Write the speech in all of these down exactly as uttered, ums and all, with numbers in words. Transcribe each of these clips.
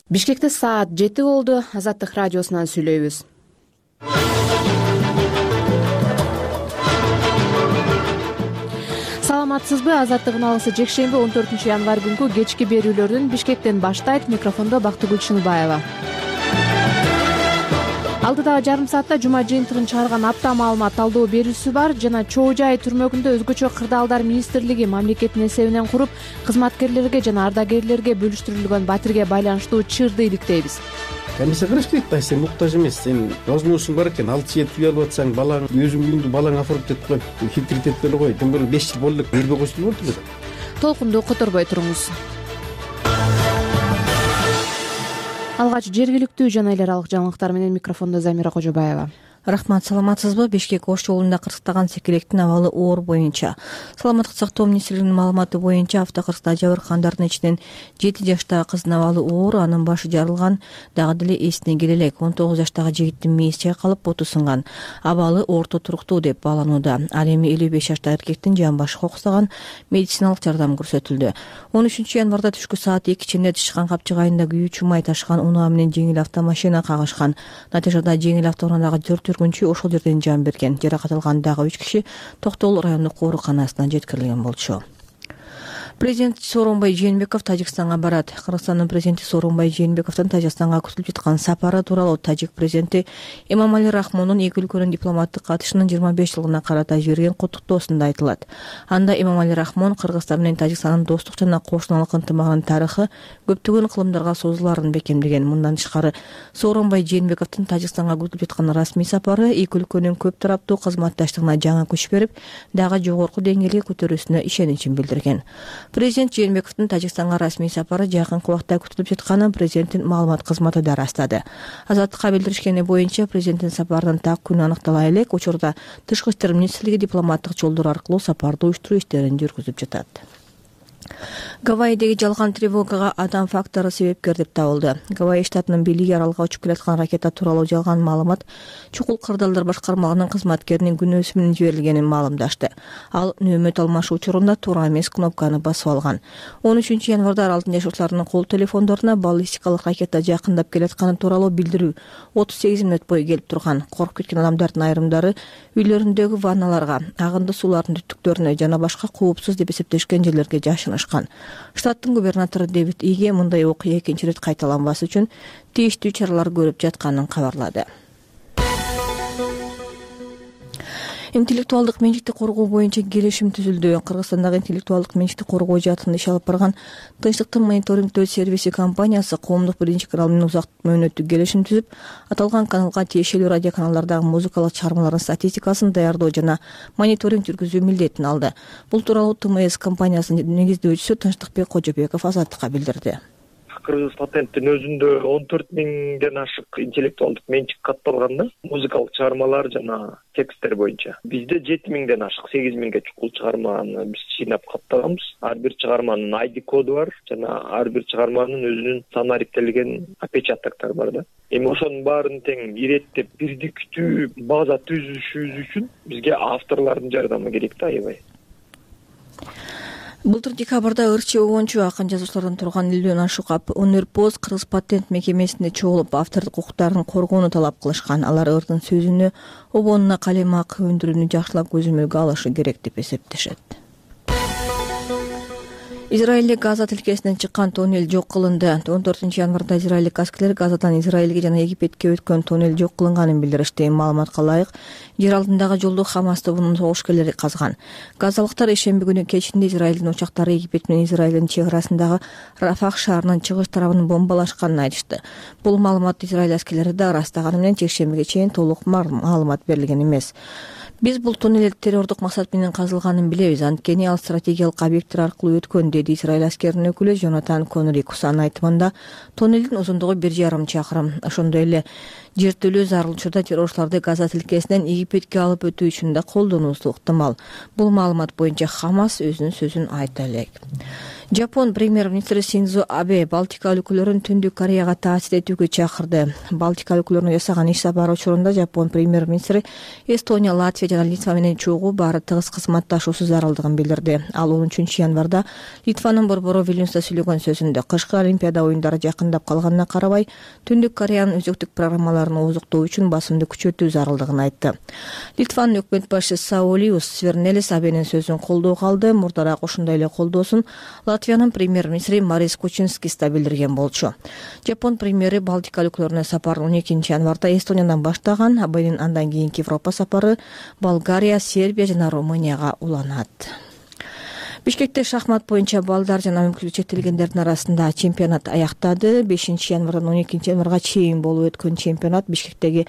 Бишкекте саат жети болду. Азаттык радиосунан сүйлөйбүз. Саламатсызбы? Азаттык уналысы жекшемби он төртүнчү январь күнкү кечки берүүлөрдүн Бишкектен баштайт. Микрофондо Бактыгүл Чыныбаева. Алдыдагы жарым саатта жума жыйынтыгын чыгарган апта маалымат талдоо берүүсү бар жана Чоо Жай түрмөгүндө өзгөчө кырдаалдар министрлиги мамлекеттин эсебинен куруп, кызматкерлерге жана ардагерлерге бөлүштүрүлгөн батирге байланыштуу чырды иликтейбиз. Эмесе кылыш керек да, сен муктаж эмес, сен возможностуң бар экен, алты жыл үй алып атсаң, балаң өзүң үйүңдү балаң афырып кетип коет, хитрит этпей кой, тем более беш жыл болду элек бербей койсун болду эле. Толкунду которбой туруңуз. Алгач жергиликтүү жана эл аралык жаңылыктар менен микрофондо Замира Кожобаева. Рахмат, саламатсызбы? Бишкек Ош жолунда кырсыктаган секелектин абалы оор боюнча. Саламаттык сактоо министрлигинин маалыматы боюнча автокырсыкта жабыркандардын ичинен жети жаштагы кыздын абалы оор, анын башы жарылган, дагы деле эсине келе элек. он тогуз жаштагы жигиттин мээси чайкалып, боту сынган. Абалы орто туруктуу деп бааланууда. Ал эми элүү беш жаштагы эркектин жан башы кокустаган, медициналык жардам көрсөтүлдү. он үчүнчү январда түшкү саат эки чейин Тышкан Капчык айында күйүүчү май ташыган унаа менен жеңил автомашина кагышкан. Натыйжада жеңил автоунаадагы төрт жүргүнчү ошол жерден жан берген. Жаракат алган дагы үч киши Токтогул райондук ооруканасына жеткирилген болчу. Президент Сооронбай Жээнбеков Тажикстанга барат. Кыргызстандын президенти Сооронбай Жээнбековдун Тажикстанга күтүлүп жаткан сапары тууралуу тажик президенти Эмомали Рахмондун эки өлкөнүн дипломаттык катышынын жыйырма беш жылына карата жиберген куттуктоосунда айтылат. Анда Эмомали Рахмон Кыргызстан менен Тажикстандын достук жана кошуналык ынтымагынын тарыхы көптөгөн кылымдарга созулаарын бекемдеген. Мындан тышкары Сооронбай Жээнбековдун Тажикстанга күтүлүп жаткан расмий сапары эки өлкөнүн көп тараптуу кызматташтыгына жаңы күч берип, дагы жогорку деңгээлге көтөрүүсүнө ишеничин билдирген. Президент Жээнбековдун Тажикстанга расмий сапары жакынкы убакта күтүлүп жатканын президенттин маалымат кызматы да ырастады. Азаттыкка билдиришкени боюнча президенттин сапарынын так күнү аныктала элек, учурда Тышкы иштер министрлиги дипломаттык жолдор аркылуу сапарды уюштуруу иштерин жүргүзүп жатат. Гавайидеги жалган тревогага адам фактору себепкер деп табылды. Гавайи штатынын бийлиги аралга учуп келаткан ракета тууралуу жалган маалымат чукул кырдаалдар башкармалыгынын кызматкеринин күнөөсү менен жиберилгенин маалымдашты. Ал нөөмөт алмашуу учурунда туура эмес кнопканы басып алган. он үчүнчү январда аралдын жашоочуларынын кол телефондоруна баллистикалык ракета жакындап келатканы тууралуу билдирүү отуз сегиз мүнөт бою келип турган. Коркуп кеткен адамдардын айрымдары үйлөрүндөгү ванналарга, агынды суулардын түтүктөрүнө жана башка коопсуз деп эсептешкен жерлерге жашынышкан. Штаттын губернатору Дэвид Иге мындай окуя экинчи ирет кайталанбас үчүн тийиштүү чаралар көрүп жатканын кабарлады. Интеллектуалдык менчикти коргоо боюнча келишим түзүлдү. Кыргызстандагы интеллектуалдык менчикти коргоо жаатында иш алып барган Тынчтыктын мониторингдөө сервиси компаниясы коомдук биринчи канал менен узак мөөнөттүк келишим түзүп, аталган каналга тиешелүү радиоканалдардагы музыкалык чыгармалардын статистикасын даярдоо жана мониторинг жүргүзүү милдетин алды. Бул тууралуу Т М С компаниясынын негиздөөчүсү Тынчтыкбек Кожобеков Азаттыкка билдирди. Кыргыз патенттин өзүндө он төрт миңден ашык интеллектуалдык менчик катталган да, музыкалык чыгармалар жана тексттер боюнча. Бизде жети миңден ашык, сегиз миңге чукул чыгарманы биз жыйнап каттаганбыз. Ар бир чыгарманын ай ди коду бар жана ар бир чыгарманын өзүнүн санариптелген опечатоктор бар да. Эми ошонун баарын тең иреттеп бирдиктүү база түзүшүбүз үчүн бизге авторлордун жардамы керек да, аябай. Былтыр декабрда ырчы обончу акын жазуучулардан турган элүүдөн ашык өнөрпоз Кыргыз патент мекемесинде чогулуп автордук укуктарын коргоону талап кылышкан. Алар ырдын сөзүнө, обонуна калем акы өндүрүүнү жакшылап көзөмөлгө алышы керек деп эсептешет. Израилде Газа тилкесинен чыккан тоннель жок кылынды. он төртүнчү январда израилдик аскерлер Газадан Израилге жана Египетке өткөн тоннель жок кылынганын билдиришти. Маалыматка ылайык, жер алдындагы жолду Хамас тобунун согушкерлери казган. Газалыктар ишемби күнү кечинде Израилдин учактары Египет менен Израилдин чек арасындагы Рафах шаарынын чыгыш тарабын бомбалашканын айтышты. Бул маалыматты Израиль аскерлери да ырастаганы менен чекшембиге чейин толук маалымат берилген эмес. Биз бул тоннель террордук максат менен казылганын билебиз. Анткени ал стратегиялык объекттер аркылуу өткөн, деди Израиль аскеринин өкүлү Жонатан Конрикус. Анын айтымында тоннелдин узундугу бир жарым чакырым. Ошондой эле жертөлөө зарыл учурда террорчуларды Газа тилкесинен Египетке алып өтүү үчүн да колдонуусу ыктымал. Бул маалымат боюнча Хамас өзүнүн сөзүн айта элек. Жапон премьер-министри Синдзо Абе Балтика өлкөлөрүн Түндүк Кореяга таасир этүүгө чакырды. Балтика өлкөлөрүнө жасаган иш сапары учурунда Жапон премьер-министри Эстония, Латвия жана Литва менен чогуу баары тыгыз кызматташуусу зарылдыгын билдирди. Ал он үчүнчү январда Литванын борбору Вильнюста сүйлөгөн сөзүндө кышкы Олимпиада оюндары жакындап калганына карабай, Түндүк Кореянын өзөктүк программаларын озуктоо үчүн басымды күчөтүү зарылдыгын айтты. Литванын өкмөт башчысы Саулиус Свернелис Абенин сөзүн колдоого алды. Мурдараак ушундай эле колдоосун Латвиянын премьер-министри Марис Кучинскис да билдирген болчу. Жапон премьери Балтика өлкөлөрүнө сапарын он экинчи январда Эстониядан баштаган. Абенин андан кийинки Европа сапары Болгария, Сербия жана Румынияга уланат. Бишкекте шахмат боюнча балдар жана мүмкүнчүлүгү чектелгендердин арасында чемпионат аяктады. бешинчи январдан он экинчи январга чейин болуп өткөн чемпионат Бишкектеги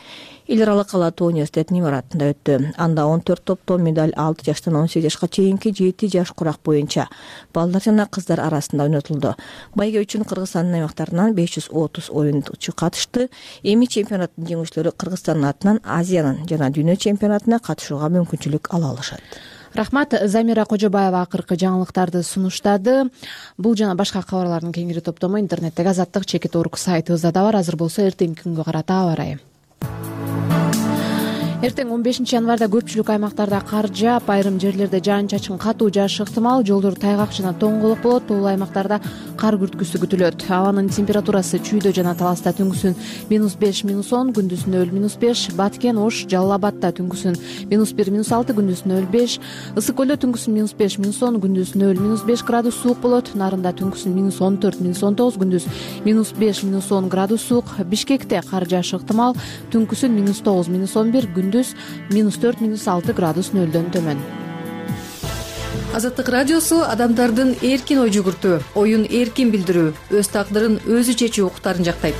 эл аралык Алатуу университетинин имаратында өттү. Анда он төрт топтон медаль алты жаштан он сегиз жашка чейинки жети жаш курак боюнча балдар жана кыздар арасында ойнотулду. Байге үчүн Кыргызстандын аймактарынан беш жүз отуз оюнчу катышты. Эми чемпионаттын жеңүүчүлөрү Кыргызстандын атынан Азиянын жана дүйнө чемпионатына катышууга мүмкүнчүлүк ала алышат. Рахмат. Замира Кожобаева акыркы жаңылыктарды сунуштады. Бул жана башка кабарлардын кеңири топтому интернеттеги Азаттык чекит орг сайтыбызда да бар. Азыр болсо эртеңки күнгө карата аба ырайы. Эртең он бешинчи январда көпчүлүк аймактарда кар жаап, айрым жерлерде жаан-чачын катуу жаашы ыктымал, жолдор тайгак жана тоңголок болот. Тоолуу аймактарда кар күрткүсү күтүлөт. Абанын температурасы Чүйдө жана Таласта түнкүсүн минус беш минус он, күндүзүн нөл минус беш, Баткен, Ош, Жалал Абадта түнкүсүн минус бир минус алты, күндүзүн нөл беш, Ысык көлдө түнкүсүн минус беш минус он, күндүзүн нөл минус беш градус суук болот. Нарында түнкүсүн минус он төрт минус он тогуз, күндүз минус беш минус он градус суук. Бишкекте кар жаашы ыктымал, түнкүсүн минус тогуз минус он бир, күндүз минус төрт минус алты градус нөлдөн төмөн. Азаттык радиосу адамдардын эркин ой жүгүртүү, оюн эркин билдирүү, өз тагдырын өзү чечүү укуктарын жактайт.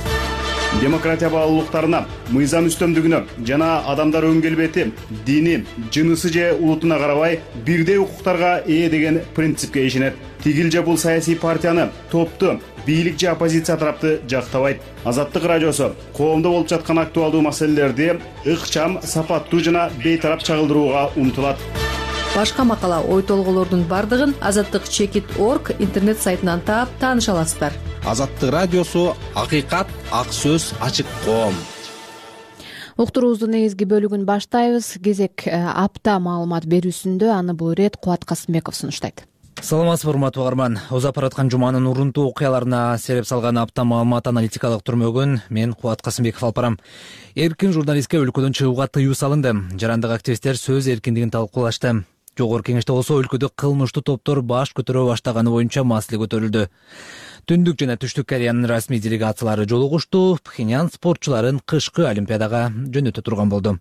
Демократия баалуулуктарына, мыйзам үстөмдүгүнө жана адамдар өн келбети, дини, жынысы же улутуна карабай бирдей укуктарга ээ деген принципке ишенет. Тигил же бул саясий партияны, топту, бийлик же оппозиция тарапты жактабайт. Азаттык радиосу коомдо болуп жаткан актуалдуу маселелерди ыкчам, сапаттуу жана бейтарап чагылдырууга умтулат. Башка макала, ой толголордун бардыгын азаттык чекит орг интернет сайтынан таап тааныша аласыздар. Азаттык радиосу акыйкат, ак сөз, ачык коом. Уктуруубуздун негизги бөлүгүн баштайбыз. Кезек апта маалымат берүүсүндө аны бул ирет Кубат Касымбеков сунуштайт. Саламатсызбы, урматтуу угарман. Озап бараткан жуманын урунтуу окуяларына сереп салган апта маалымат аналитикалык түрмөгүн мен Кубат Касымбеков алып барам. Эркин журналистке өлкөдөн чыгууга тыюу салынды. Жарандык активисттер сөз эркиндигин талкуулашты. Жогорку кеңеште болсо өлкөдө кылмыштуу топтор баш көтөрө баштаганы боюнча маселе көтөрүлдү. Түндүк жана Түштүк Кореянын расмий делегациялары жолугушту. Пхеньян спортчуларын кышкы Олимпиадага жөнөтө турган болду.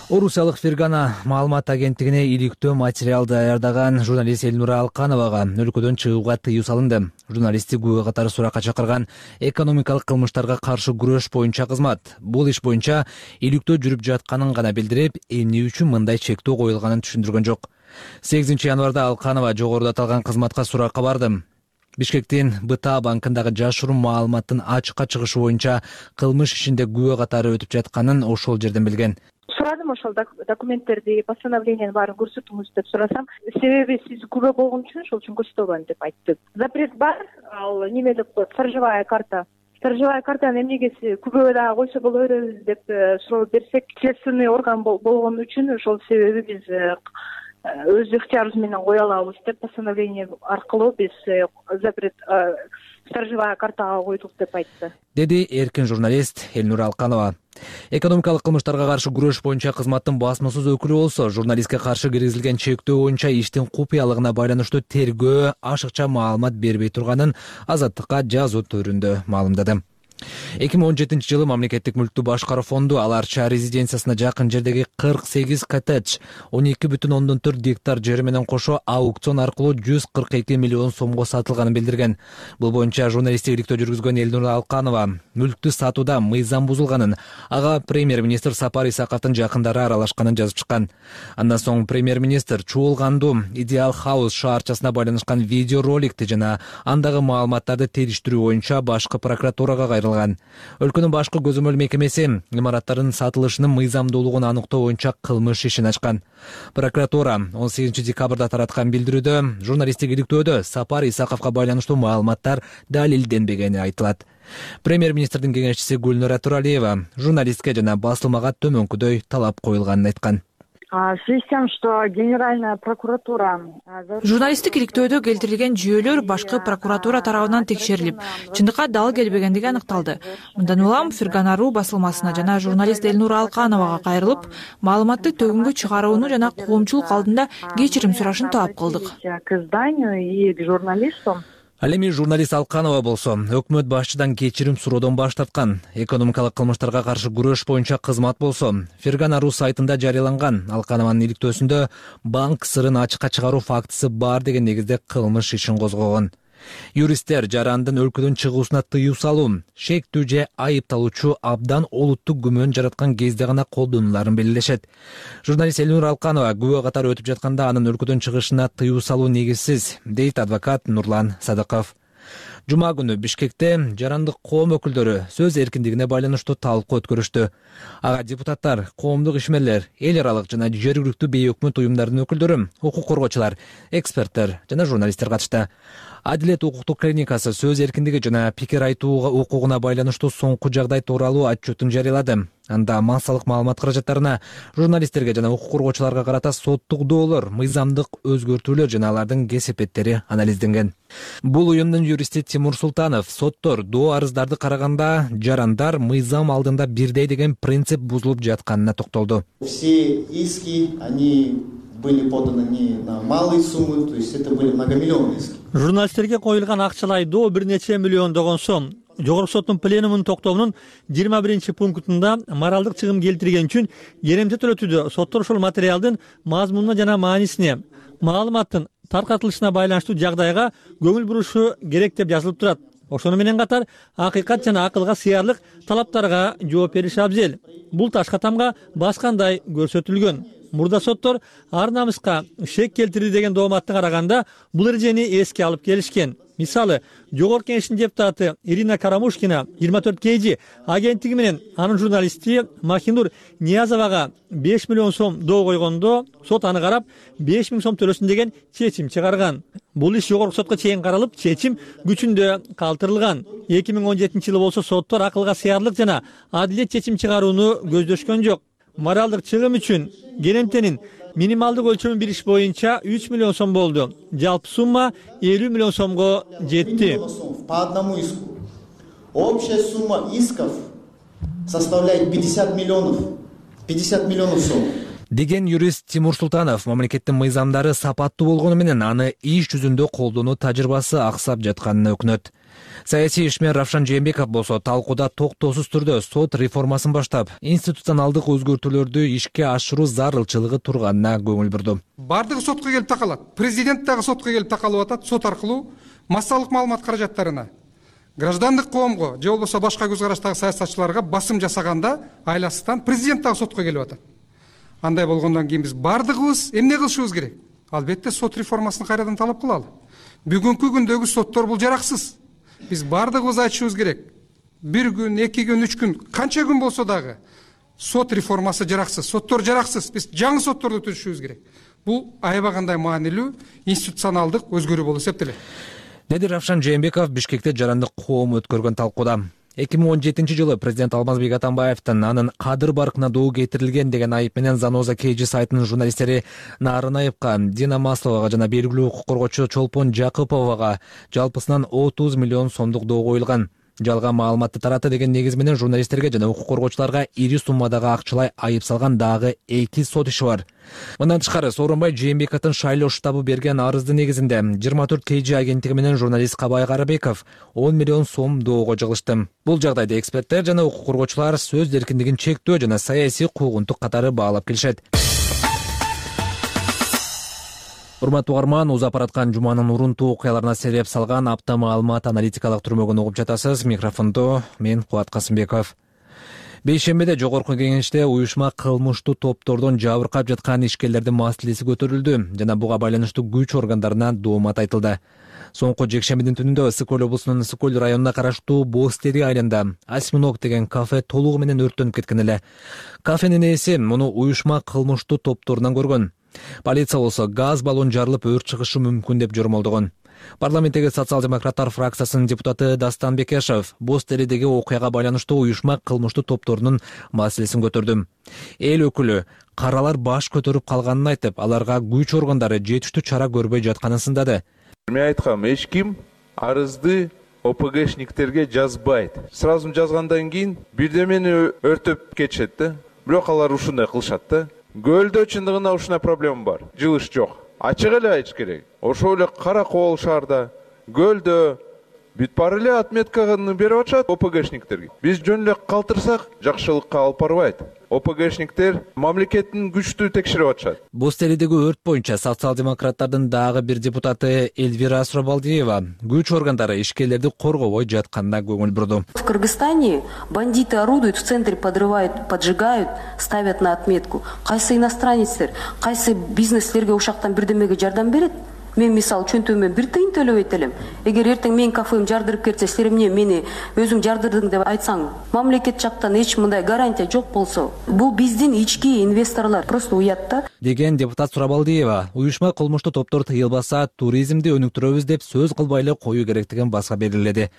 Орусиялык Фергана маалымат агенттигине иликтөө материал даярдаган журналист Элнура Алкановага өлкөдөн чыгууга тыюу салынды. Журналистти күбө катары суракка чакырган экономикалык кылмыштарга каршы күрөш боюнча кызмат. Бул иш боюнча иликтөө жүрүп жатканын гана билдирип, эмне үчүн мындай чектөө коюлганын түшүндүргөн жок. сегизинчи январда Алканова жогоруда аталган кызматка суракка барды. Бишкектин БТА банкындагы жашыруун маалыматтын ачыкка чыгышы боюнча кылмыш ишинде күбө катары өтүп жатканын ошол жерден билген. Сурадым ошол документтерди, постановлениени баарын көрсөтүңүз деп сурасам, себеби сиз күбө болгон үчүн ошол үчүн көрсөтө албайм деп айтты. Запрет бар, ал неме деп коет, сторожевая карта. Сторожевая картаны эмнеге күбө дагы койсо боло беребиз деп суроо берсек, следственный орган болгон үчүн ошол себеби биз өз ыктыярыбыз менен кое алабыз деп постановление аркылуу биз запрет сторожевая картага койдук деп айтты, деди эркин журналист Элнура Алканова. Экономикалык кылмыштарга каршы күрөш боюнча кызматтын басмасыз өкүлү болсо, журналистке каршы киргизилген чектөө боюнча иштин купуялыгына байланыштуу тергөө ашыкча маалымат бербей турганын Азаттыкка жазуу түрүндө маалымдады. эки миң он жетинчи жылы мамлекеттик мүлктү башкаруу фонду Аларча резиденциясына жакын жердеги кырк сегиз коттедж, он эки бүтүн ондон төрт гектар жери менен кошо аукцион аркылуу жүз кырк эки миллион сомго сатылганын билдирген. Бул боюнча журналисттик иликтөө жүргүзгөн Элнура Алканова мүлктү сатууда мыйзам бузулганын, ага премьер-министр Сапар Исаковдун жакындары аралашканын жазып чыккан. Андан соң премьер-министр чуулгандуу Идеал Хаус шаарчасына байланышкан видеороликти жана андагы маалыматтарды териштирүү боюнча башкы прокуратурага кайрылган. калтырылган. Өлкөнүн башкы көзөмөл мекемеси имараттардын сатылышынын мыйзамдуулугун аныктоо боюнча кылмыш ишин ачкан. Прокуратура он сегизинчи декабрда тараткан билдирүүдө журналисттик иликтөөдө Сапар Исаковго байланыштуу маалыматтар далилденбегени айтылат. Премьер-министрдин кеңешчиси Гүлнара Туралиева журналистке жана басылмага төмөнкүдөй талап коюлганын айткан. В связи с тем, что Генеральная прокуратура... Журналисттик иликтөөдө келтирилген жүйөлөр башкы прокуратура тарабынан текшерилип, чындыкка дал келбегендиги аныкталды. Мындан улам Фергана.ру басылмасына жана журналист Элнура Алкановага кайрылып, маалыматты төгүнгө чыгарууну жана коомчулук алдында кечирим сурашын талап кылдык. К изданию и к журналистам. Ал эми журналист Алканова болсо өкмөт башчыдан кечирим суроодон баш тарткан. Экономикалык кылмыштарга каршы күрөш боюнча кызмат болсо Фергана.ру сайтында жарыяланган Алканованын иликтөөсүндө банк сырын ачыкка чыгаруу фактысы бар деген негизде кылмыш ишин козгогон. Юристтер жарандын өлкөдөн чыгуусуна тыюу салуу, шектүү же айыпталуучу абдан олуттук күмөн жараткан кезде гана колдонуларын белгилешет. Журналист Элнура Алканова күбө катары өтүп жатканда анын өлкөдөн чыгышына тыюу салуу негизсиз, дейт адвокат Нурлан Садыков. Жума күнү Бишкекте жарандык коом өкүлдөрү сөз эркиндигине байланыштуу талкуу өткөрүштү. Ага депутаттар, коомдук ишмерлер, эл аралык жана жергиликтүү бейөкмөт уюмдардын өкүлдөрү, укук коргоочулар, эксперттер жана журналисттер катышты. Адилет укуктук клиникасы сөз эркиндиги жана пикир айтууга укугуна байланыштуу соңку жагдай тууралуу отчетун жарыялады. Анда массалык маалымат каражаттарына журналисттерге жана укук коргоочуларга карата соттук доолор, мыйзамдык өзгөртүүлөр жана алардын кесепеттери анализденген. Бул уюмдун юристи Тимур Султанов соттор доо арыздарды караганда жарандар мыйзам алдында бирдей деген принцип бузулуп жатканына токтолду. Все иски, они были поданы не на малые суммы, то есть это были многомиллионные иски. Журналисттерге коюлган акчалай доо бир нече миллиондогон сом. Жогорку соттун пленумунун токтомунун жыйырма биринчи пунктунда моралдык чыгым келтирген үчүн керемче төлөтүүдө соттор ушул материалдын мазмунуна жана маанисине, маалыматтын таркатылышына байланыштуу жагдайга көңүл бурушу керек деп жазылып турат. Ошону менен катар акыйкат жана акылга сыярлык талаптарга жооп бериш абзел. Бул ташка тамга баскандай көрсөтүлгөн. Мурда соттор ар намыска шек келтирди деген дооматты караганда бул эрежени эске алып келишкен. Мисалы, жогорку кеңештин депутаты Ирина Карамушкина жыйырма төрт кей жи агенттиги менен анын журналисти Махинур Ниязовага беш миллион сом доо койгондо сот аны карап беш миң сом төлөсүн деген чечим чыгарган. Бул иш жогорку сотко чейин каралып, чечим күчүндө калтырылган. эки миң он жетинчи жылы болсо соттор акылга сыярлык жана адилет чечим чыгарууну көздөшкөн жок. Моралдык чыгым үчүн керемтенин минималдык өлчөмүн билиш боюнча үч миллион сом болду. Жалпы сумма элүү миллион сомго жетти. По одному иску. Общая сумма исков составляет пятьдесят миллионов. пятьдесят миллионов сом. Деген юрист Тимур Султанов мамлекеттин мыйзамдары сапаттуу болгону менен аны иш жүзүндө колдонуу тажрыйбасы аксап жатканына өкүнөт. Саясий ишмер Равшан Жээнбеков болсо талкууда токтоосуз түрдө сот реформасын баштап, институционалдык өзгөртүүлөрдү ишке ашыруу зарылчылыгы турганына көңүл бурду. Бардыгы сотко келип такалат. Президент дагы сотко келип такалып атат. Сот аркылуу массалык маалымат каражаттарына, граждандык коомго же болбосо башка көз караштагы саясатчыларга басым жасаганда айласыздан президент дагы сотко келип атат. Андай болгондон кийин биз бардыгыбыз эмне кылышыбыз керек? Албетте сот реформасын кайрадан талап кылалы. Бүгүнкү күндөгү соттор бул жараксыз. Биз бардыгыбыз айтышыбыз керек. Бир күн, эки күн, үч күн, канча күн болсо дагы сот реформасы жараксыз, соттор жараксыз. Биз жаңы сотторду түзүшүбүз керек. Бул аябагандай маанилүү институционалдык өзгөрүү болуп эсептелет. Деди Равшан Жээнбеков Бишкекте жарандык коом өткөргөн талкууда. эки миң он жетинчи жылы президент Алмазбек Атамбаевдин анын кадыр баркына доо кетирилген деген айып менен Заноза кей жи сайтынын журналисттери Нарынаевка, Дина Масловага жана белгилүү укук коргоочу Чолпон Жакыповага жалпысынан отуз миллион сомдук доо коюлган. Жалган маалыматты таратты деген негиз менен журналисттерге жана укук коргоочуларга ири суммадагы акчалай айып салган дагы эки сот иши бар. Мындан тышкары Сооронбай Жээнбековдун шайлоо штабы берген арыздын негизинде жыйырма төрт кей жи агенттиги менен журналист Кабай Карабеков он миллион сом доого жыгылышты. Бул жагдайда эксперттер жана укук коргоочулар сөз эркиндигин чектөө жана саясий куугунтук катары баалап келишет. Урматтуу угарман, узап бараткан жуманын урунтуу окуяларына себеп салган апта маалымат аналитикалык түрмөгүн угуп жатасыз. Микрофондо мен Кубат Касымбеков. Бейшембиде жогорку кеңеште уюшма кылмыштуу топтордон жабыркап жаткан ишкерлердин маселеси көтөрүлдү жана буга байланыштуу күч органдарына доомат айтылды. Соңку жекшембидин түнүндө Ысык Көл облусунун Ысык Көл районуна караштуу Бостери айылында осьминог деген кафе толугу менен өрттөнүп кеткен эле. Кафенин ээси муну уюшма кылмыштуу топторунан көргөн. Полиция болсо газ баллон жарылып өрт чыгышы мүмкүн деп жормолдогон. Парламенттеги социал-демократтар фракциясынын депутаты Дастан Бекешев Бостеридеги окуяга байланыштуу уюшма кылмыштуу топторунун маселесин көтөрдү. Эл өкүлү каралар баш көтөрүп калганын айтып, аларга күч органдары жетиштүү чара көрбөй жатканын сындады. Мен айткам, эч ким арызды ОПГшниктерге жазбайт. Сразу жазгандан кийин бирдемени өртөп кетишет да. Бирок алар ушундай кылышат да. Көлдө чындыгында ушундай проблема бар. Жылыш жок. Ачык эле айтыш керек. Ошол эле Кара Кол шаарда, көлдө бүт баары эле отметканы берип атышат ОПГшниктерге. Биз жөн эле калтырсак, жакшылыкка алып барбайт. ОПГшниктер мамлекеттин күчтүү текшерип атышат. Бостеридеги өрт боюнча социал-демократтардын дагы бир депутаты Эльвира Асробалдиева күч органдары ишкерлерди коргобой жатканына көңүл бурду. В Кыргызстане бандиты орудуют в центре, подрывают, поджигают, ставят на отметку. Кайсы иностранецтер, кайсы бизнеслерге ушактан бирдемеге жардам берет? Мен мисалы чөнтөмөн бир тыйын төлөбөйт элем. Эгер эртең менин кафем жардырып кетсе, силер эмне мени өзүң жардырдың деп айтсаң, мамлекет жактан эч мындай гарантия жок болсо, бул биздин ички инвесторлор просто уят да. Деген депутат Сурабалдиева, уюшма кылмыштуу топтор тыйылбаса, туризмди өнүктүрөбүз деп сөз кылбай эле коюу керектигин баса белгиледи.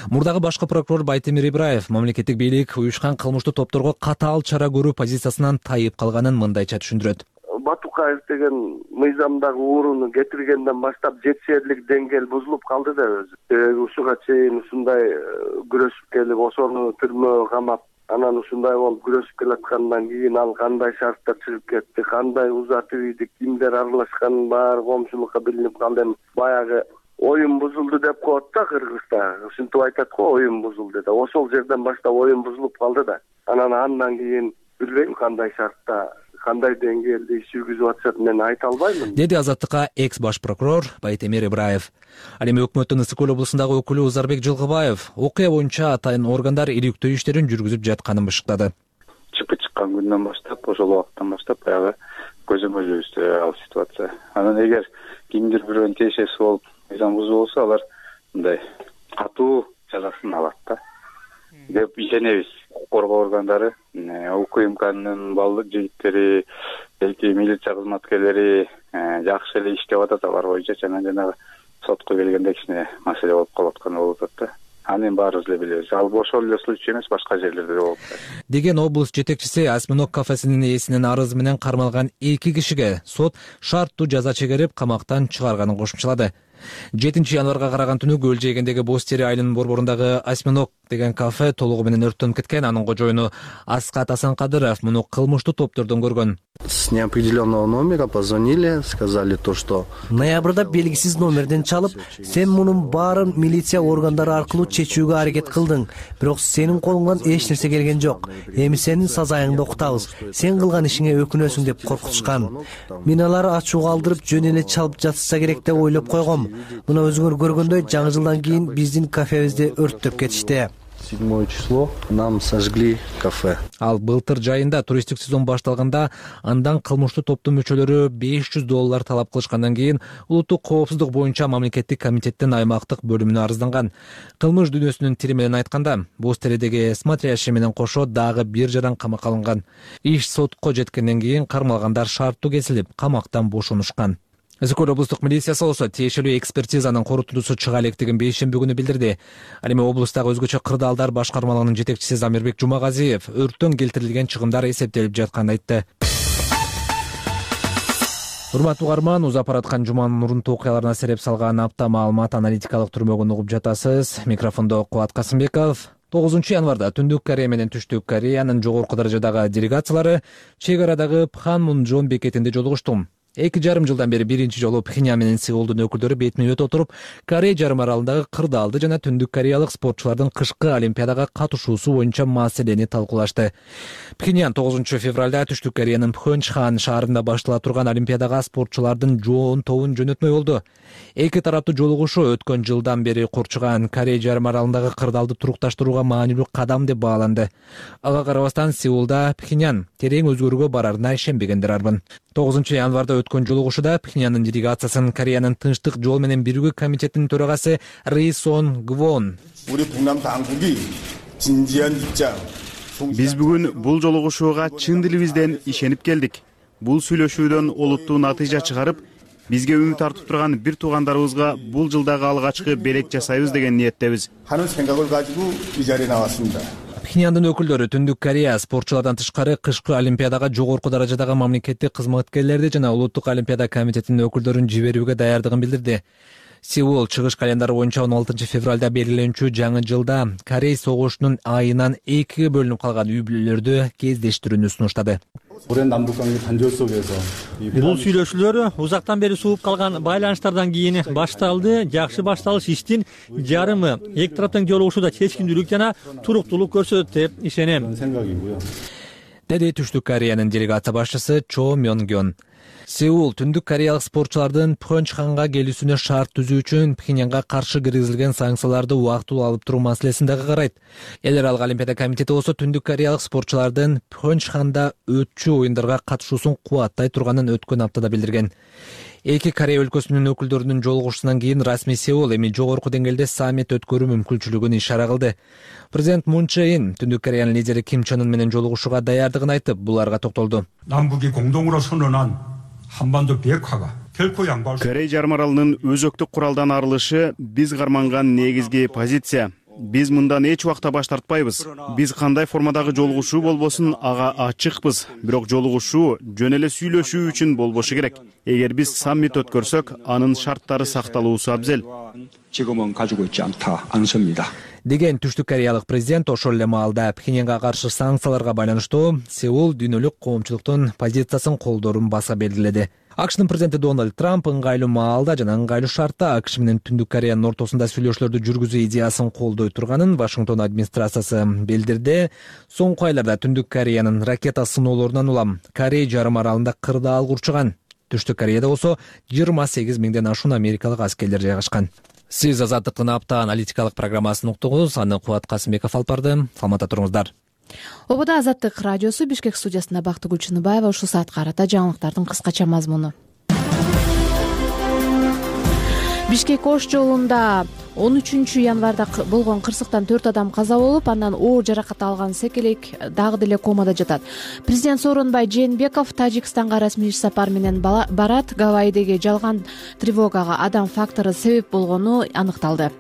Мурдагы башкы прокурор Байтемир Ибраев мамлекеттик бийлик уюшкан кылмыштуу топторго катаал чара көрүү позициясынан тайып калганын мындайча түшүндүрөт. Батукаев деген мыйзамдагы ууруну кетиргенден баштап жетишерлик деңгээл бузулуп калды да өзү. Себеби ушуга чейин ушундай күрөшүп келип, ошону түрмөгө камап, анан ушундай болуп күрөшүп келаткандан кийин ал кандай шарттар чыгып кетти, кандай узатып ийди, кимдер аралашканын баары коомчулукка билинип калды. Баягы оюн бузулду деп коет да Кыргызда. Ушинтип айтат го, оюн бузулду да. Ошол жерден баштап оюн бузулуп калды да. Анан андан кийин билбейм кандай шартта, кандай деңгээлде иш жүргүзүп атышат, мен айта албаймын, деди Азаттыкка экс баш прокурор Байтемир Ибраев. Ал эми өкмөттүн Ысык Көл облусундагы өкүлү Узарбек Жылгыбаев окуя боюнча атайын органдар иликтөө иштерин жүргүзүп жатканын бышыктады. Чыпы чыккан күндөн баштап, ошол убакыттан баштап баягы көзөмөлүбүздө ал ситуация. Анан эгер кимдир бирөөнүн тиешеси болуп мыйзам бузуу болсо, алар мындай катуу жазасын алат да деп ишенебиз. Коргоо органдары, УКМКнын балдык жигиттери, элки милиция кызматкерлери жакшы эле иштеп атат алар боюнча. Жана жанагы сотко келгенде кичине маселе болуп калып атканы болуп атат да. Анын баарыбыз эле билебиз. Ал ошол эле случай эмес, башка жерлерде да болуп атат. Деген облус жетекчиси осьминог кафесинин ээсинин арызы менен кармалган эки кишиге сот шарттуу жаза чегерип, камактан чыгарганын кошумчалады. жетинчи январга караган түнү Көл жээгиндеги Бостери айылынын борборундагы осьминог деген кафе толугу менен өрттөнүп кеткен. Анын кожоюну Аскат Асанкадыров муну кылмыштуу топтордон көргөн. С неопределенного номера позвонили, сказали то, что ноябрда белгисиз номерден чалып, сен мунун баарын милиция органдары аркылуу чечүүгө аракет кылдың, бирок сенин колуңдан эч нерсе келген жок. Эми сенин сазайыңды окутабыз, сен кылган ишиңе өкүнөсүң деп коркутушкан. Мен алар ачууга алдырып жөн эле чалып жатышса керек деп ойлоп койгом. Мына өзүңөр көргөндөй жаңы жылдан кийин биздин кафебизди өрттөп кетишти. седьмое число нам сожгли кафе. Ал былтыр жайында туристтик сезон башталганда андан кылмыштуу топтун мүчөлөрү беш жүз доллар талап кылышкандан кийин улуттук коопсуздук боюнча мамлекеттик комитеттин аймактык бөлүмүнө арызданган. Кылмыш дүйнөсүнүн тили менен айтканда, Бостеридеги смотрящий менен кошо дагы бир жаран камакка алынган. Иш сотко жеткенден кийин кармалгандар шарттуу кесилип, камактан бошонушкан. Ысык Көл облустук милициясы болсо тиешелүү экспертизанын корутундусу чыга электигин бейшемби күнү билдирди. Ал эми облустагы өзгөчө кырдаалдар башкармалыгынын жетекчиси Замирбек Жумагазиев өрттөн келтирилген чыгымдар эсептелип жатканын айтты. Урматтуу угарман, узап бараткан жуманын мурунтуу окуяларына сереп салган апта маалымат аналитикалык түрмөгүн угуп жатасыз. Микрофондо Кубат Касымбеков. тогузунчу январда Түндүк Корея менен Түштүк Кореянын жогорку даражадагы делегациялары чек арадагы Пханмунжом бекетинде жолугушту. Эки жарым жылдан бери биринчи жолу Пхеньян менен Сеулдун өкүлдөрү бетме бет отуруп, Корея жарым аралындагы кырдаалды жана түндүк кореялык спортчулардын кышкы олимпиадага катышуусу боюнча маселени талкуулашты. Пхеньян тогузунчу февралда Түштүк Кореянын Пхенчхан шаарында баштала турган олимпиадага спортчулардын жоон тобун жөнөтмөй болду. Эки тараптуу жолугушуу өткөн жылдан бери курчуган Корея жарым аралындагы кырдаалды турукташтырууга маанилүү кадам деп бааланды. Ага карабастан Сеулда Пхеньян терең өзгөрүүгө барарына ишенбегендер арбын. тогузунчу январда өткөн жолугушууда Пхеньяндын делегациясын Кореянын тынчтык жол менен биригүү комитетинин төрагасы Ри Сон Гвон. Биз бүгүн бул жолугушууга чын дилибизден ишенип келдик. Бул сүйлөшүүдөн олуттуу натыйжа чыгарып, бизге үмүт артып турган бир туугандарыбызга бул жылдагы алгачкы белек жасайбыз деген ниеттебиз. Пхеньяндын өкүлдөрү Түндүк Корея спортчулардан тышкары кышкы олимпиадага жогорку даражадагы мамлекеттик кызматкерлерди жана улуттук олимпиада комитетинин өкүлдөрүн жиберүүгө даярдыгын билдирди. Сеул чыгыш календары боюнча он алтынчы февралда белгиленүүчү жаңы жылда Корей согушунун айынан экиге бөлүнүп калган үй бүлөлөрдү кездештирүүнү сунуштады. Бул сүйлөшүүлөр узактан бери сууп калган байланыштардан кийин башталды. Жакшы башталыш иштин жарымы эки тараптын жолугушууда чечкиндүүлүк жана туруктуулук көрсөтөт деп ишенем, деди Түштүк Кореянын делегация башчысы Чо Мёнгён. Сеул Түндүк кореялык спортчулардын Пхенчханга келүүсүнө шарт түзүү үчүн Пхеньянга каршы киргизилген санкцияларды убактылуу алып туруу маселесин дагы карайт. Эл аралык олимпиада комитети болсо Түндүк кореялык спортчулардын Пхенчханда өтчү оюндарга катышуусун кубаттай турганын өткөн аптада билдирген. Эки Корея өлкөсүнүн өкүлдөрүнүн жолугушуусунан кийин расмий Сеул эми жогорку деңгээлде саммит өткөрүү мүмкүнчүлүгүн ишара кылды. Президент Мун Чже Ин Түндүк Кореянын лидери Ким Чен Ын менен жолугушууга даярдыгын айтып, буларга токтолду. Корей жарым аралынын өзөктүк куралдан арылышы биз карманган негизги позиция. Биз мындан эч убакта баш тартпайбыз. Биз кандай формадагы жолугушуу болбосун ага ачыкпыз, бирок жолугушуу жөн эле сүйлөшүү үчүн болбошу керек. Эгер биз саммит өткөрсөк, анын шарттары сакталуусу абзел. деген Түштүк кореялык президент ошол эле маалда Пхеньянга каршы санкцияларга байланыштуу Сеул дүйнөлүк коомчулуктун позициясын колдоорун баса белгиледи. АКШнын президенти Дональд Трамп ыңгайлуу маалда жана ыңгайлуу шартта АКШ менен Түндүк Кореянын ортосунда сүйлөшүүлөрдү жүргүзүү идеясын колдой турганын Вашингтон администрациясы билдирди. Соңку айларда Түндүк Кореянын ракета сыноолорунан улам Корей жарым аралында кырдаал курчуган. Түштүк Кореяда болсо жыйырма сегиз миңден ашуун америкалык аскерлер жайгашкан. Сиз Азаттыктын апта аналитикалык программасын уктуңуз. Аны Кубат Касымбеков алып барды. Саламатта туруңуздар. Обода Азаттык радиосу Бишкек студиясында Бактыгүл Чыныбаева ушул саатка карата жаңылыктардын кыскача мазмуну. Бишкек Ош жолунда он үчүнчү январда болгон кырсыктан төрт адам каза болуп, андан оор жаракат алган секелек дагы деле комада жатат. Президент Сооронбай Жээнбеков Тажикстанга расмий иш сапар менен барат. Гавайидеги жалган тревогага адам фактору себеп болгону аныкталды.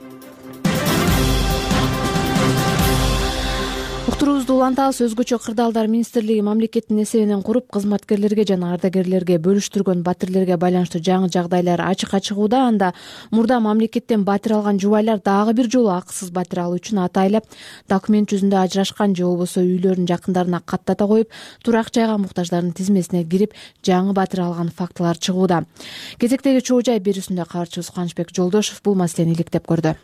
Уктуруубузду улантабыз. Өзгөчө кырдаалдар министрлиги мамлекеттин эсебинен куруп, кызматкерлерге жана ардагерлерге бөлүштүргөн батирлерге байланыштуу жаңы жагдайлар ачыкка чыгууда. Анда мурда мамлекеттен батир алган жубайлар дагы бир жолу акысыз батир алуу үчүн атайлап документ жүзүндө ажырашкан же болбосо үйлөрүнүн жакындарына каттата коюп, турак жайга муктаждардын тизмесине кирип жаңы батир алган фактылар чыгууда. Кезектеги чоо жай берүүсүндө кабарчыбыз Кубанычбек Жолдошов бул маселени иликтеп көрдү.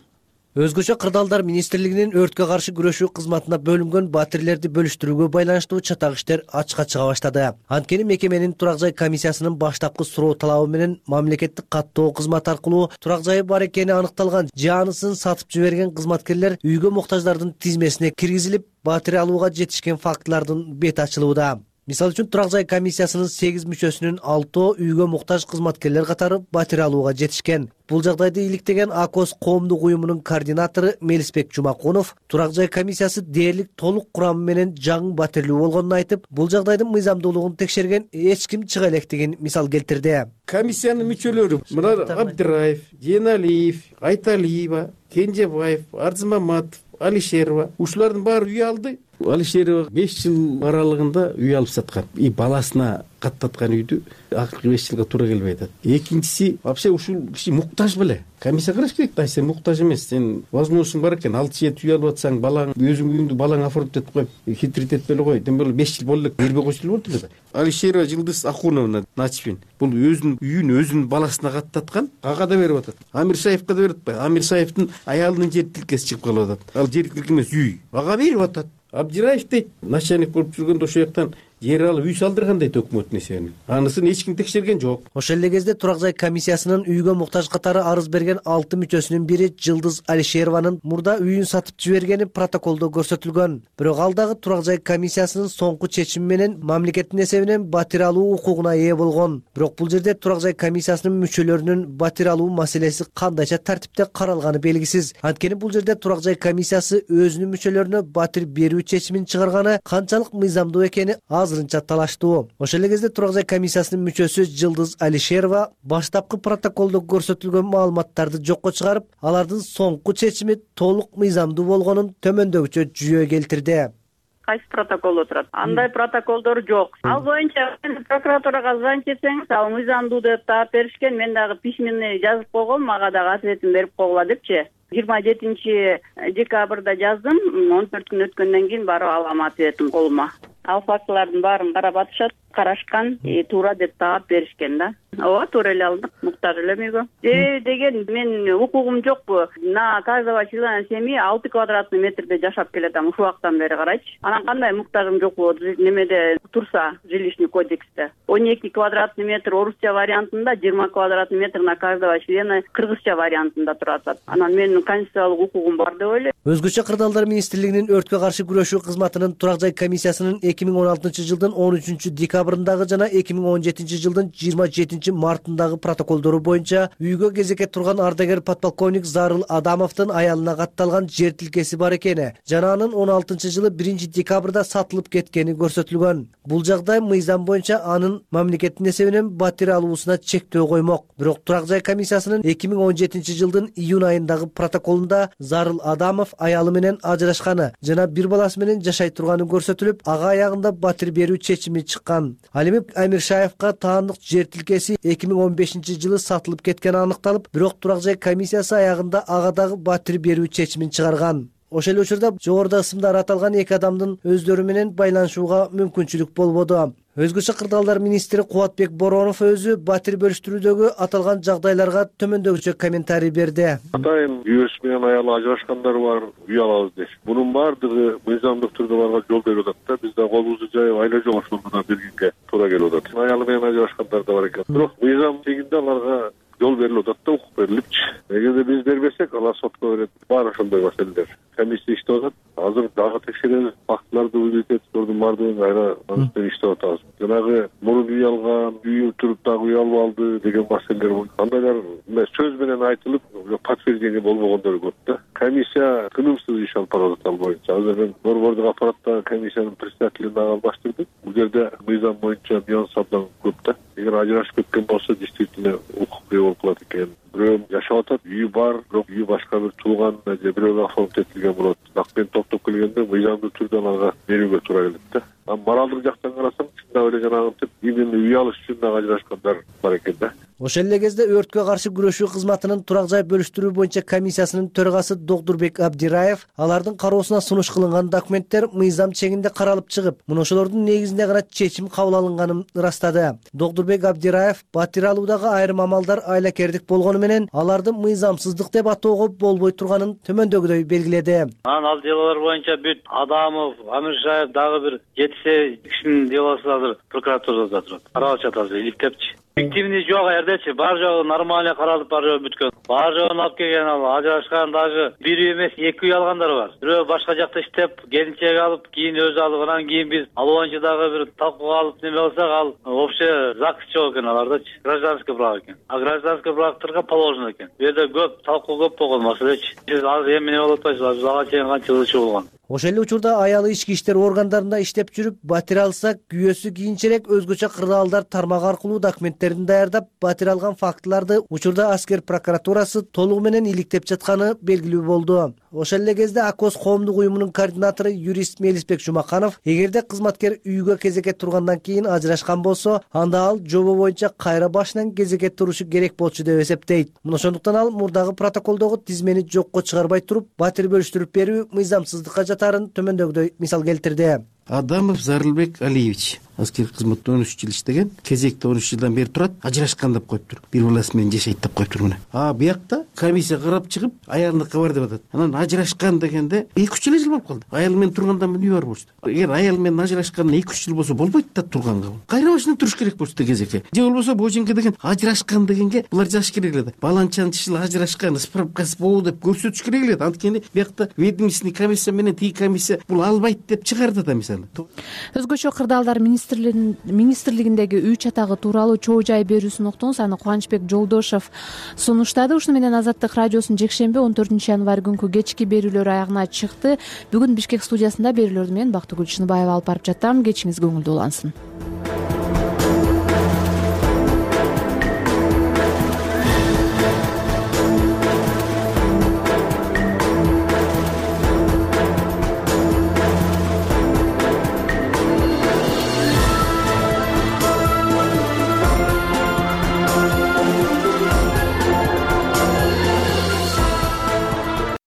Өзгөчө кырдаалдар министрлигинин өрткө каршы күрөшүү кызматына бөлүнгөн батирлерди бөлүштүрүүгө байланыштуу чатак иштер ачыкка чыга баштады. Анткени мекеменин турак жай комиссиясынын баштапкы суроо талабы менен мамлекеттик каттоо кызмат аркылуу турак жайы бар экени аныкталган же анысын сатып жиберген кызматкерлер үйгө муктаждардын тизмесине киргизилип, батир алууга жетишкен фактылардын бети ачылууда. Мисалы үчүн турак жай комиссиясынын сегиз мүчөсүнүн алтоо үйгө муктаж кызматкерлер катары батир алууга жетишкен. Бул жагдайды иликтеген АКОС коомдук уюмунун координатору Мелисбек Жумакунов турак жай комиссиясы дээрлик толук курамы менен жаңы батирлүү болгонун айтып, бул жагдайдын мыйзамдуулугун текшерген эч ким чыга электигин мисал келтирди. Комиссиянын мүчөлөрү мына Абдираев, Жээналиев, Айталиева, Кенжебаев, Арзымаматов, Алишерова ушулардын баары үй алды. Алишерова беш жыл аралыгында үй алып саткан. И баласына каттаткан үйдү акыркы беш жылга туура келбей атат. Экинчиси вообще ушул киши муктаж беле. Комиссия караш керек да, сен муктаж эмес. Сен возможностуң бар экен, алты жети үй алып атсаң, балаң өзүң үйүңдү балаң оформить этип коюп, хитрит этпей эле кой. Тем более беш жыл болду эле бербей койсо болот эле да. Алишерова Жылдыз Ахуновна Начпин бул өзүнүн үйүн өзүнүн баласына каттаткан, ага да берип атат. Амир Саевка да берип атпайбы? Амир Саевдин аялынын жер тилкеси чыгып калып атат. Ал жер тилке эмес үй. Ага берип атат. Абдираев дейт, начальник болуп жүргөндө ошол жактан жер алып үй салдырган дейт өкмөттүн эсебинен. Анысын эч ким текшерген жок. Ошол эле кезде турак жай комиссиясынын үйгө муктаж катары арыз берген алты мүчөсүнүн бири Жылдыз Алишерованын мурда үйүн сатып жибергени протоколдо көрсөтүлгөн. Бирок ал дагы турак жай комиссиясынын соңку чечими менен мамлекеттин эсебинен батир алуу укугуна ээ болгон. Бирок бул жерде турак жай комиссиясынын мүчөлөрүнүн батир алуу маселеси кандайча тартипте каралганы белгисиз. Анткени бул жерде турак жай комиссиясы өзүнүн мүчөлөрүнө батир берүү чечимин чыгарганы канчалык мыйзамдуу экени азырынча талаштуу. Ошол эле кезде турак жай комиссиясынын мүчөсү Жылдыз Алишерова баштапкы протоколдо көрсөтүлгөн маалыматтарды жокко чыгарып, алардын соңку чечими толук мыйзамдуу болгонун төмөндөгүчө жүйө келтирди. Кайсы протокол отурат? Андай протоколдор жок. Ал боюнча прокуратурага звонить этсеңиз, ал мыйзамдуу деп таап беришкен. Мен дагы письменный жазып койгом, мага дагы ответин берип койгула депчи. жыйырма жетинчи декабрда жаздым. он төрт күн өткөндөн кийин барып алам ответин колума. Ал фактылардын баарын карап атышат, карашкан, туура деп таап беришкен да. Ооба, туура эле алдык, муктаж элем үйгө. Себеби деген мен укугум жокпу. На каждого члена семьи алты квадратный метрде жашап келатам ушул убактан бери, карайчы. Анан кандай муктажым жокпу немеде турса, жилищный кодексте. он эки квадратный метр орусча вариантында, жыйырма квадратный метр на каждого члена кыргызча вариантында турат. Анан менин конституциялык укугум бар деп ойлойм. Өзгөчө кырдаалдар министрлигинин өрткө каршы күрөшүү кызматынын турак жай комиссиясынын эки миң он алтынчы жылдын он үчүнчү декабрындагы жана эки миң он жетинчи жылдын жыйырма жетинчи мартындагы протоколдору боюнча үйгө кезекке турган ардагер подполковник Зарыл Адамовдун аялына катталган жер тилкеси бар экени жана анын он алтынчы жылы биринчи декабрда сатылып кеткени көрсөтүлгөн. Бул жагдай мыйзам боюнча анын мамлекеттин эсебинен батир алуусуна чектөө коймок. Бирок турак жай комиссиясынын эки миң он жетинчи жылдын июнь айындагы протоколунда Зарыл Адамов аялы менен ажырашканы жана бир баласы менен жашай турганы көрсөтүлүп, ага аягында батир берүү чечими чыккан. Ал эми Амиршаевка таандык жер тилкеси эки миң он бешинчи жылы сатылып кеткени аныкталып, бирок турак жай комиссиясы аягында ага дагы батир берүү чечимин чыгарган. Ошол эле учурда жогоруда ысымдар аталган эки адамдын өздөрү менен байланышууга мүмкүнчүлүк болбоду. Өзгөчө кырдаалдар министри Кубатбек Боронов өзү батир бөлүштүрүүдөгү аталган жагдайларга төмөндөгүчө комментарий берди. Атайын күйөөсү менен аялы ажырашкандар бар, үй алабыз дейт. Мунун баардыгы мыйзамдык түрдө барга жол берип атат да. Биз да колубузду жайып айла жок ошолордон бергенге туура келип атат. Аялы менен ажырашкандар да бар экен. Бирок мыйзам тегинде аларга жол берилип атат да, укук берилипчи. Эгерде биз бербесек, алар сотко берет. Бар ошондой маселелер. Комиссия иштеп атат. Азыр дагы текшеребиз, фактыларды улуйтет, ордун баардыгын айра анын иштеп атабыз. Жанагы мурун үй алган, үйү туруп дагы үй алып алды деген маселелер болду. Андайлар сөз менен айтылып, подтверждение болбогондор көп да. Комиссия тынымсыз иш алып барып атат ал боюнча. Азыр мен борбордук аппаратта комиссиянын председателин албаштырдык. Бул жерде мыйзам боюнча нюанс абдан көп да. Эгер ажырашып кеткен болсо, действительно укук болуп калат экен. Бирөө жашап атат, үйү бар, бирок үйү башка бир тууган же бирөөгө оформить этилген болот. Акпен топтоп келгенде мыйзамдуу түрдө аларга берүүгө туура келет да. А моралдык жактан карасаң, чындап эле жанагынтип именно үй алыш үчүн дагы ажырашкандар бар экен да. Ошол эле кезде өрткө каршы күрөшүү кызматынын турак жай бөлүштүрүү боюнча комиссиясынын төрагасы Докдурбек Абдираев алардын кароосуна сунуш кылынган документтер мыйзам чегинде каралып чыгып, мына ошолордун негизинде гана чечим кабыл алынганын ырастады. Докдурбек Абдираев батир алуудагы айрым амалдар айлакердик болгону менен аларды мыйзамсыздык деп атоого болбой турганын төмөндөгүдөй белгиледи. Анан ал делолор боюнча бүт Адамов, Амиршаев дагы бир жети кишинин делосу азыр прокуратурада турат. Каралып жатат, иликтепчи. Фиктивный жок эрдечи, бар жогу нормально каралып, бар жогу бүткөн. Бар жогун алып келген, ал ажырашкан дагы бир үй эмес, эки үй алгандар бар. Бирөө башка жакта иштеп, келинчек алып, кийин өзү алып, анан кийин биз ал боюнча дагы бир талкууга алып неме болсок, ал общий закыс жок экен алардачы. Гражданский брак экен. А гражданский брактарга положено экен. Бу жерде көп талкуу көп болгон маселечи. Сиз азыр эмне болуп атпайсыз, ага чейин канча ылчы болгон. Ошол эле учурда аялы ички иштер органдарында иштеп жүрүп, батир алса, күйөөсү кийинчерээк өзгөчө кырдаалдар тармак аркылуу документтерин даярдап, батир алган фактыларды учурда аскер прокуратурасы толугу менен иликтеп жатканы белгилүү болду. Ошол эле кезде Акос коомдук уюмунун координатору юрист Мелисбек Жумаканов, эгерде кызматкер үйгө кезекке тургандан кийин ажырашкан болсо, анда ал жобо боюнча кайра башынан кезекке турушу керек болчу деп эсептейт. Мына ошондуктан ал мурдагы протоколдогу тизмени жокко чыгарбай туруп, батир бөлүштүрүп берүү мыйзамсыздыкка жатарын төмөндөгүдөй мисал келтирди. Адамов Зарылбек Алиевич аскердик кызматта он үч жыл иштеген, кезекте он үч жылдан бери турат, ажырашкан деп коюптур. Бир баласы менен жашайт деп коюптур мына. А биякта комиссия карап чыгып, аялыныка бар деп атат. Анан ажырашкан дегенде эки үч жыл болуп калды. Аял менен турганда эмне бар болчу? Эгер аял менен ажырашканына эки үч жыл болсо болбойт да турганга. Кайра башынан туруш керек болчу кезекке. Же болбосо боженке деген ажырашкан дегенге булар жазыш керек эле да. Баланчанчы жыл ажырашкан, справкасы болу деп көрсөтүш керек эле. Анткени биякта ведомственный комиссия менен тиги комиссия бул албайт деп чыгарды да мисалы. Өзгөчө кырдаалдар министрлигиндеги үй чатагы тууралуу чоо жай берүүсүн уктуңуз. Аны Кубанычбек Жолдошов сунуштады. Ушуну менен Азаттык радиосунун жекшемби он төртүнчү январь күнкү кечки берүүлөр аягына чыкты. Бүгүн Бишкек студиясында берүүлөрдү мен Бактыгүл Чыныбаева алып барып жатам. Кечиңиз көңүлдүү улансын.